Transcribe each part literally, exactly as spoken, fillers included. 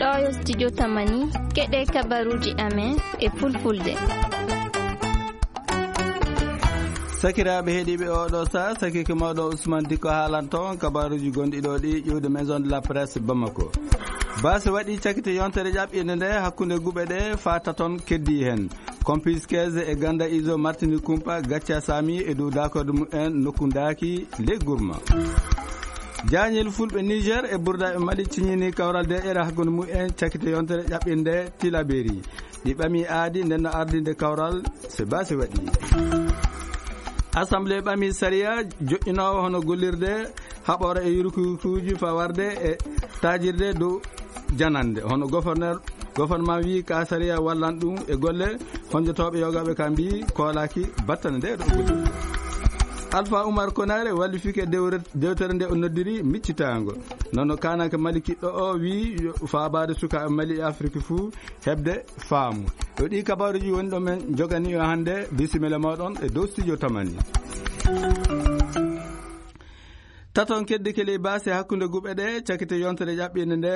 Ɗo yo studio Tamani, keɗe kabaruji amen e fulfulde. Sakiraaɓe heɗiiɓe, oɗo saa sakike mawɗo Ousmane Dikko haalanto on kabaruji gonɗi ɗo ɗi ƴiwde Maison de la Presse Bamako. Baasi waɗi cakite yontere ƴaɓɓinde nde hakkunde guɓe ɗe faa taton keddi heen. Compis quinze e Ganda Izo Martini Kumpa gacca saami e dow dakorde mumen nokku ndaaki ley gurma. Jaañel fulɓe Niger e burdaaɓe Mali ciñini kawral deƴere hakkunde mumen cakite yontere ƴaɓɓinde Tilaberi. Ɗi ɓami aadi nden no ardinde kawral se baasi waɗi. Assemblée ɓami sariya joƴƴinoowo hono gollirde haɓoore e yurkuyurkuuji faa warde e taajirde dow janande. Hono gouverneur, gouvernement wii ka sariya wallan ɗum e golle honjotooɓe yogaaɓe ka mbii koolaaki battane nde ɗo golle. Alpha Oumar Konare wallifike dewre-, dewtere nde o noddiri miccitaango. Nono kaananke Mali kiɗɗo o wii yo faabaade sukaaɓe Mali e Afirki fuu heɓde faamu. Ɗo ɗi kabaruji woni ɗo men jogani o hannde. Bisimilla mooɗon e dow studio Tamani. Taton keddi keli baasi hakkunde guɓe ɗe, cakite yontere ƴaɓɓinde nde,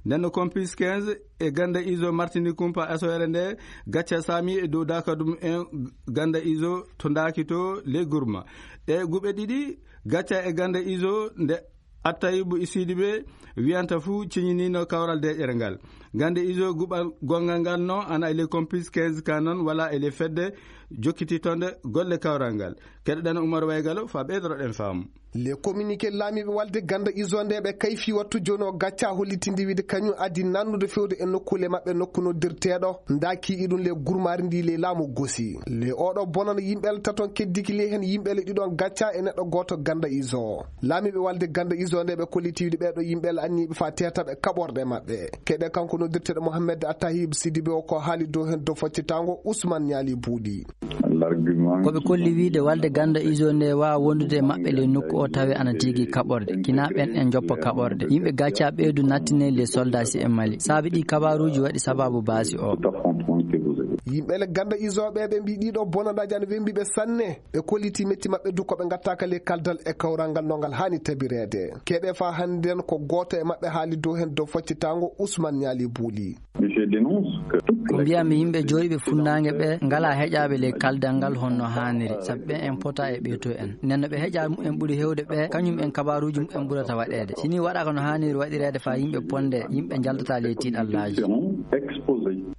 nden no Compis quinze e Ganda Izo Martini Kumpa asoyere nde, gacca saami e dow dakadum en Ganda Izo to ndaaki to ley gurma. Ɗe guɓe ɗiɗi, gacca e Ganda Izo nde Attayibu e Sidibe wiyanta fuu ciñinino kawral deƴere ngal. Ganda Izo guɓal gongal ngal no ana e ley Compis quinze ka noon wala e ley fedde jokkiti tonde golle kawral ngal. Keɗoɗen Umar Waygalo faa ɓeydoroɗen faamu. Le communiqué laamiiɓe walde Ganda Izo nde ɓe kayfi wattu jooni o gacca hollitinde wiide kañum addi nannude fewde e nokkule maɓɓe nokku noddirteeɗo ndaaki iɗum le gurmaari ndi le laamu gosi. Le oɗo bonan yimɓe le taton keddiki le heen yimɓe le ɗiɗon gacca e neɗɗo gooto Ganda Izo. Laamiiɓe walde Ganda Izo nde ɓe kolliti wiide ɓeeɗo yimɓe le anniiɓe faa teetaɓe kaɓorɗe maɓɓe. Keɗe kanko noddirteeɗo Mohamed Attahib Sidibe o ko haali dow heen dow foccitaango Ousmane Niali Buuɗi. Ko ɓe kolli wiide walde Ganda Izo nde waawa wondude e maɓɓe ley nokku o tawi ana tigi kaɓorde. Kina ɓen en joppa kaɓorde. Yimɓe gacca ɓeydu nattine le soldat si e Mali. Saabi ɗi kabaruji waɗi sababu baasi o. Yimɓe le Ganda Izo ɓe ɓe mbi ɗiɗo bonandaaji ana wembi ɓe sanne. Ɓe kolliti metti maɓɓe du ko ɓe ngattaaka le kaldal e kawral ngal no ngal haani tabireede. Keɗe faa hannden ko gooto e maɓɓe haali dow heen dow foccitaango Ousmane Niali Buuɗi. Ko mbiyami yimɓe jooɗiiɓe funnaange ɓe ngalaa heƴaaɓe ley kaldal ngal honno haaniri, sabi ɓen en pota e ɓeyto en. Nden no ɓe heƴaaɓe mumen ɓuri heewde ɓe, kañum en kabaaruuji mumen ɓurata waɗeede. Si nii waɗaaka no haaniri waɗireede faa yimɓe ponde, yimɓe njaltata ley tiiɗallaaji.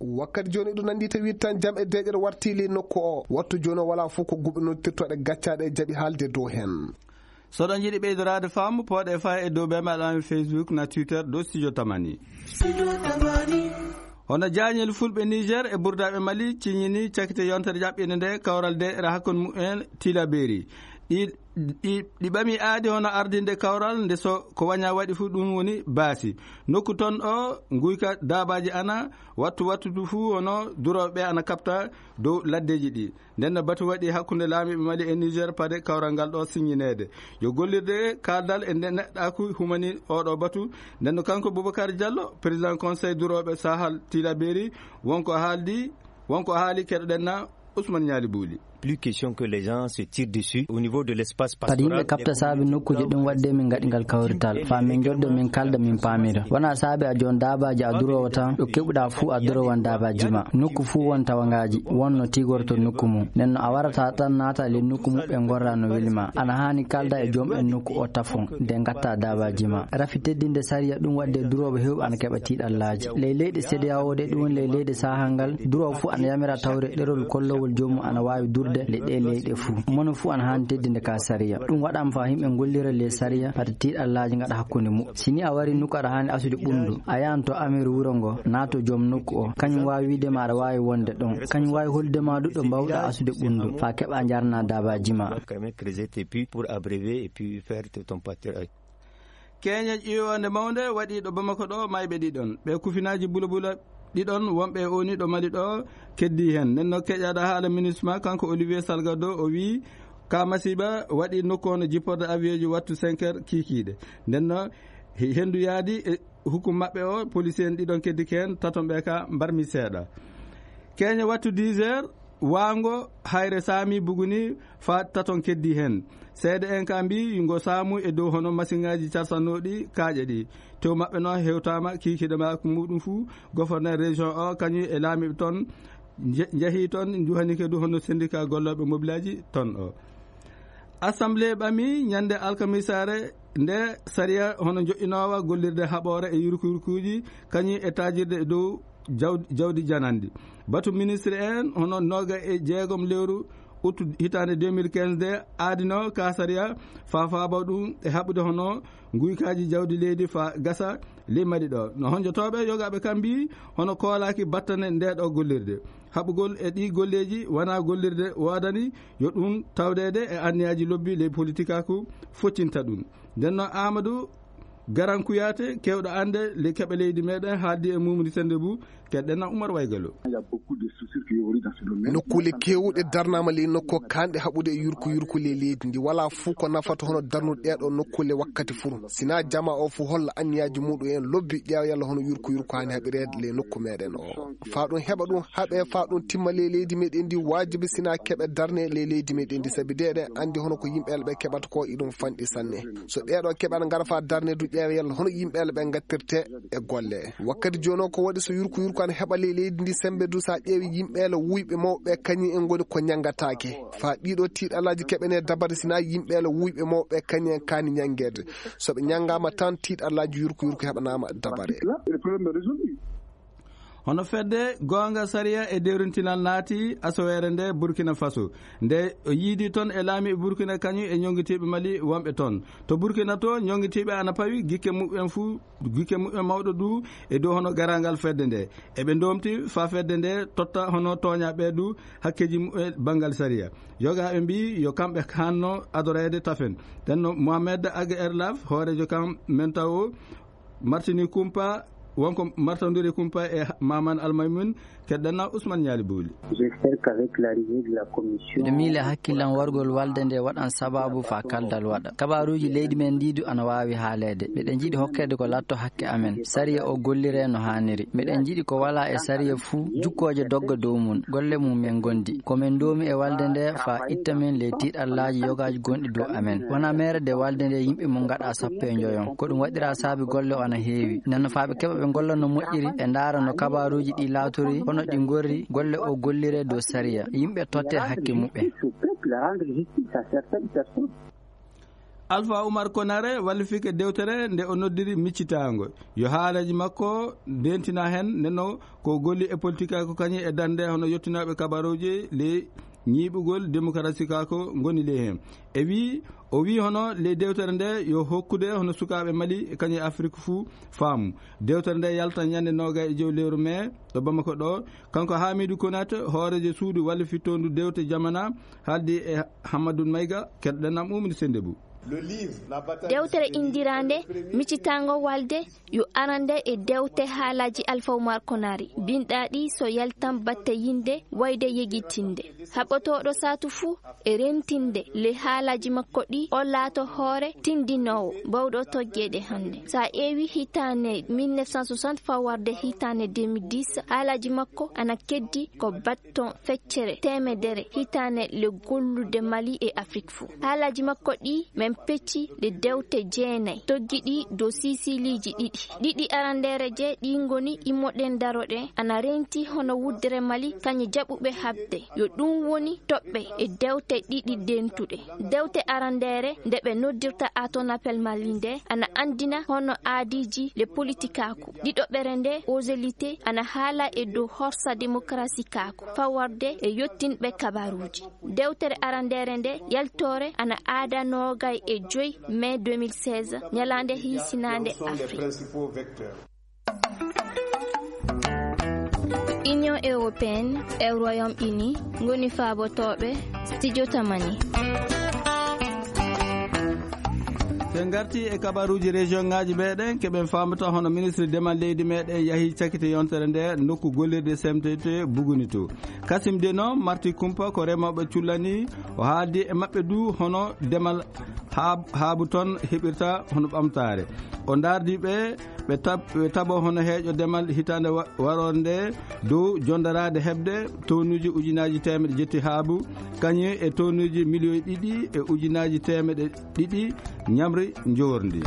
Wakkati jooni eɗum nanndi tawi tan jam e deeƴere warti ley nokku o. Wattu jooni o walaa fof ko guɓe noddirtooɗe gaccaaɗe e jaɓi haalde dow heen. So ɗon njiɗi ɓeydoraade faamu, pooɗe faa e dow bee maɗa Facebook na Twitter dow Studio Tamani. Hono jaañel fulɓe Niger e burdaaɓe Mali ciñini cakite yontere ƴaɓɓinde nde kawral deeƴere hakkunde mumen Tilaberi. Ɗi, ɗi, ɗi ɓami aadi hono ardinde kawral nde so ko waña waɗi fuu ɗum woni baasi. Nokku ton o nguyka daabaaji ana wattu wattu fuu hono durooɓe ana kaɓta dow laddeeji ɗi. Nden no batu waɗi hakkunde laamiiɓe Mali e Niger pade kawral ngal ɗo siññineede. Yo gollirde kaaldal e nden neɗɗaaku humani oɗo batu. Nden no kanko Boubacar Diallo, président conseil durooɓe Sahel Tilaberi, wonko haaldi, wonko haali keɗoɗen na Ousmane Niali Buuli. Plus question que les gens se tirent dessus au niveau de l'espace pastoral. Kadi yimɓe kaɓta saabi nokkuuje ɗum waɗde min ngaɗi ngal kawrital. Faa min njoddo min kalda min paamira. Wona saabi a joon daabaaji a duroowo tan, ɗo keɓuɗaa fuu a durowan daabaaji ma. Nokku fuu won tawangaaji, won no tigorto nokku mum. Nden no a warata tan naata le nokku mum ɓe ngorra no weli ma. Ana haani kalda e joom en nokku o tafon, de ngatta daabaaji ma. Rafi teddinde sariya ɗum waɗde durooɓe heewɓe ana keɓa tiiɗallaaji. Ley leyɗe CEDEAO de ɗum woni ley leyɗe saahal ngal, duroowo fuu ana yamira tawre ɗerol kollowol joomum ana waawi durde le ɗe leyɗe fuu. Mono fuu ana haani teddinde ka sariya. Ɗum waɗaama faa yimɓe ngollira le sariya, fata tiiɗallaaji ngaɗa hakkunde muɓɓen. Si ni a wari nokku aɗa haani asude ɓunndu, a yahan to amir wuro ngo, naato joom nokku o. Kañum waawi wiide ma aɗa waawi wonde ɗon. Kañum waawi hollude ma du ɗo mbaawɗa asude ɓunndu, faa keɓa njarna daabaaji ma. Quand même creuser tes puits pour abréver et puis faire ton pâturage. Keeña ƴiiwoonde mawnde waɗi ɗo Bamako ɗo, mayɓe ɗiɗon. Ɓe kufinaaji bulabula ɗiɗon wonɓe e oni ɗo Mali ɗo keddii heen. Nden no keƴaɗo haala MINUSMA, kanko Olivier Salgado, o wii ka masiiba waɗi nokku on jipporde avion ji wattu cinq heures kiikiiɗe. Nden no he-, henndu yaadi e hukum maɓɓe o, policier en ɗiɗon keddike heen, taton ɓe ka mbarmi seeɗa. Keeña wattu dix heures, Waango hayre saami buguni faa taton keddii heen. Seede'en kaa mbii ngo saamu e dow hono masiŋaaji carsanooɗi kaaƴe ɗi. Tew maɓɓe noon hewtaama kiikiiɗe makko muuɗum fuu, goforneer région o kañum e laamiiɓe toon nje-, njahii toon, njuhanike du hono senndikaa gollooɓe mobilaaji toon o. Assemblée ɓamii ñande alkamisaare nde sariya hono joƴƴinoowa gollirde haɓoore e yurkuyurkuuji kañum e taajirde e dow jaw-, jawdi jananndi. Batu ministre en hono nooga e jeegom lewru uttu hitaande deux mille quinze nde aadino ka sariya faa faaba ɗum e haɓude hono nguykaaji jawdi leydi faa gasa ley Mali ɗo. No honjotooɓe yogaaɓe kam mbii hono koolaaki battane nde ɗo gollirde. Haɓugol e ɗii golleeji wonaa gollirde woodani yo ɗum tawdeede e anniyaaji lobbi ley politikaaku foccinta ɗum. Nden noon Aamadu Garan Kuyaate, keewɗo annde ley keɓe leydi meeɗen, haaldi e Mumudi Sennde Buu, keɗɗen na Umar Waygalo. Nokkuule keewɗe darnaama ley nokku kaanɗe haɓude e yurku yurku ley leydi ndi. Walaa fuu ko nafata hono darnude ɗee ɗoo nokkuule wakkati fuu. Sinaa jamaa o fuu holla anniyaaji muuɗum en lobbi ƴeewa yalla hono yurku yurku haani haɓireede ley nokku meeɗen o. Faa ɗum heɓa ɗum haɓee, faa ɗum timma ley leydi meeɗen ndi, waajibi sinaa keɓe darnee ley leydi meeɗen ndi, sabi de eɗen anndi hono ko yimɓe yalla ɓe keɓata ko iɗum fanɗi sanne. So ɗee ɗoo keɓe ana ngara faa darnee du ƴeewa yalla hono yimɓe yalla ɓe ngattirtee e golle. Wakkati jooni o ko waɗi so yurku yurku ana heɓa ley leydi ndi semmbe du, so a ƴeewi yimɓe yalla wuyɓe mawɓe kañum en ngoni ko ñanngataake. Faa ɗii ɗoo tiiɗalaaji keɓanee dabare sinaa yimɓe yalla wuyɓe mawɓe kañum en kaani ñanngeede. So ɓe ñanngaama tan tiiɗalaaji yurku yurku heɓanaama dabare. Hono fedde goonga sariya e dewrintinal naati asaweere nde Burkina Faso. Nde o yiidi toon e laamiiɓe Burkina kañum e ñonngitiiɓe Mali wonɓe toon. To Burkina to ñonngitiiɓe ana pawi gikke muɓɓen fuu, gikke muɓɓen mawɗo du e dow hono garaangal fedde nde. Eɓe ndoomti faa fedde nde totta hono tooñaaɓe du hakkeeji muɓɓen banngal sariya. Yogaaɓe mbii yo kamɓe haanno adoreede tafen. Nden no Mohamed Ag Erlaf, hooreejo kam men tawo, Martini Kumpa, wonko Martondiri Kumpa e Maman Almaymun, keɗɗen na Ousmane Ñaali Booli. J'espère qu'avec l'arrivée de la commission, miɗo miila hakkillan wargol walde nde waɗan sababu faa kaldal waɗa. Kabaaruuji leydi men ndii du ana waawi haaleede. Miɗen njiɗi hokkeede ko latto hakke amen. Sariya o golliree no haaniri. Miɗen njiɗi ko walaa e sariya fuu, jukkooje dogga dow mum, golle mum men ngondi. Ko men ndoomi e walde nde faa itta men ley tiiɗallaaji yogaaji gonɗi dow amen. Wonaa meere de walde nde yimɓe mum ngaɗa sappo e njoyon. Ko ɗum waɗiraa saabi golle o ana heewi. Nden no faa ɓe keɓa ɓe ngolla no moƴƴiri, ɓe ndaara no kabaaruuji ɗi laatori, hono ɗi ngorri, golle o golliree dow sariya. Yimɓe tottee hakke muɓɓen. Alfa Umar Konare wallifike dewtere nde o noddiri miccitaango. Yo haalaji makko ndeentina heen, nden no ko golli e politika ko kañum e darnde hono yottinooɓe kabaruuji ley ñiiɓugol demokarasi ka ko ngoni ley heen. E wii, o wii hono ley dewtere nde yo hokkude hono sukaaɓe Mali e kañum e Afrik fuu faamu. Dewtere nde yalta ñande noogay e jow lewru mee ɗo Bamako ɗo. Kanko Hamidu Konate, hooreejo suudu wallifitoondu dewte jamana, haaldi e Hammadun Mayga, keɗoɗen am Umini Sennde Buu. Dewtere indiraande Miccitaango Walde yo arande e dewte haalaaji Alfa Umar Konari, binɗaaɗi so yaltan batte yinde wayde yegitinde. Haɓɓotooɗo saatu fuu e rentinde le haalaaji makko ɗi, o laato hoore tindinoowo bawɗo tojjeede hannde. So a ƴeewi hitaande mille neuf cent soixante faa warde hitaande deux mille dix, haalaaji makko ana keddi ko batton feccere teemedere hitaande le gollude Mali e Afrik fuu. Haalaaji makko ɗi men pecci le dewte jeenay, toggi ɗi dow siisiliiji ɗiɗi. Ɗiɗi arandeere je ɗi ngoni immoɗen daroɗen ana renti hono wuddere Mali kañe jaɓuɓe haɓde. Yo ɗum woni toɓɓe e dewte ɗiɗi dentuɗe. Dewte arandeere nde ɓe noddirta Atonapel Mali nde ana anndina hono aadiiji le politikaaku. Ɗiɗoɓere nde Ozelite ana haala e dow horsa demokarasi kaaku fawarde e yottinɓe kabaruuji. Dewtere arandeere nde yaltoore ana aada noogay e joy mai deux mille seize, ñalaande hiisinaande Afrik. Union européenne e Royaume-Uni ngoni faabotooɓe Studio Tamani. En ngarti e kabaruuji région ŋaaji meɗen, keɓen faamata hono ministre demal leydi meɗen yahi cakite yontere nde nokku gollirde C M T T Buguni to. Kasim Deno marti kumpa ko remooɓe cullani, o haaldi e maɓɓe du hono demal haab-, haabu toon heɓirta hono ɓamtaare. O ndaardi ɓe, ɓe tab-, ɓe taɓo hono heeƴo demal hitaande wa-, waroore nde dow jondaraade heɓde tonuuji ujunaaji teemedde jetti haabu, kañum e tonuuji miliyoŋ ɗiɗi e ujunaaji teemedde ɗiɗi ñamri njoorndi.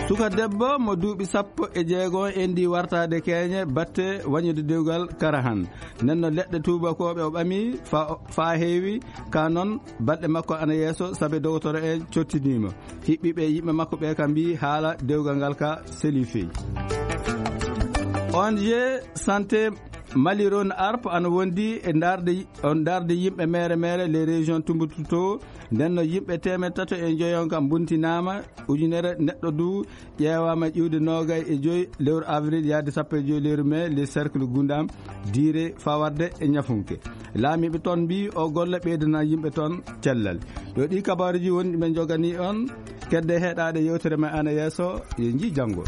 Suka debbo mo duuɓi sappo e jeego endi wartaade keeñe batte wañude dewgal Karahan. Nden no leɗɗe tuubakooɓe o ɓami fa, fa heewi, ka noon balɗe makko ana yeeso, sabe dogotoro en cottiniima. Hiɓɓiiɓe yimɓe makko ɓe ka mbii haala dewgal ngal ka seli feyi. O N G Santé Mali Rhône Alpes ana wondi e ndaarde, on ndaarde yimɓe mere mere les régions Tombouctou. Nden no yimɓe teemedde tato e njoyon kam mbuntinaama, ujunere neɗɗo du ƴeewaama ƴiwde noogay e joy lewru avril yaade sappo e joy lewru mai, les cercles Gundam, diire fawarde e ñafunke. Laamiiɓe toon mbii o golle ɓeydana yimɓe toon cellal. Yo ɗi kabaaruji woni ɗi men jogani on, kedde heɗaade yewtere men ana yeeso, yo nji janngo.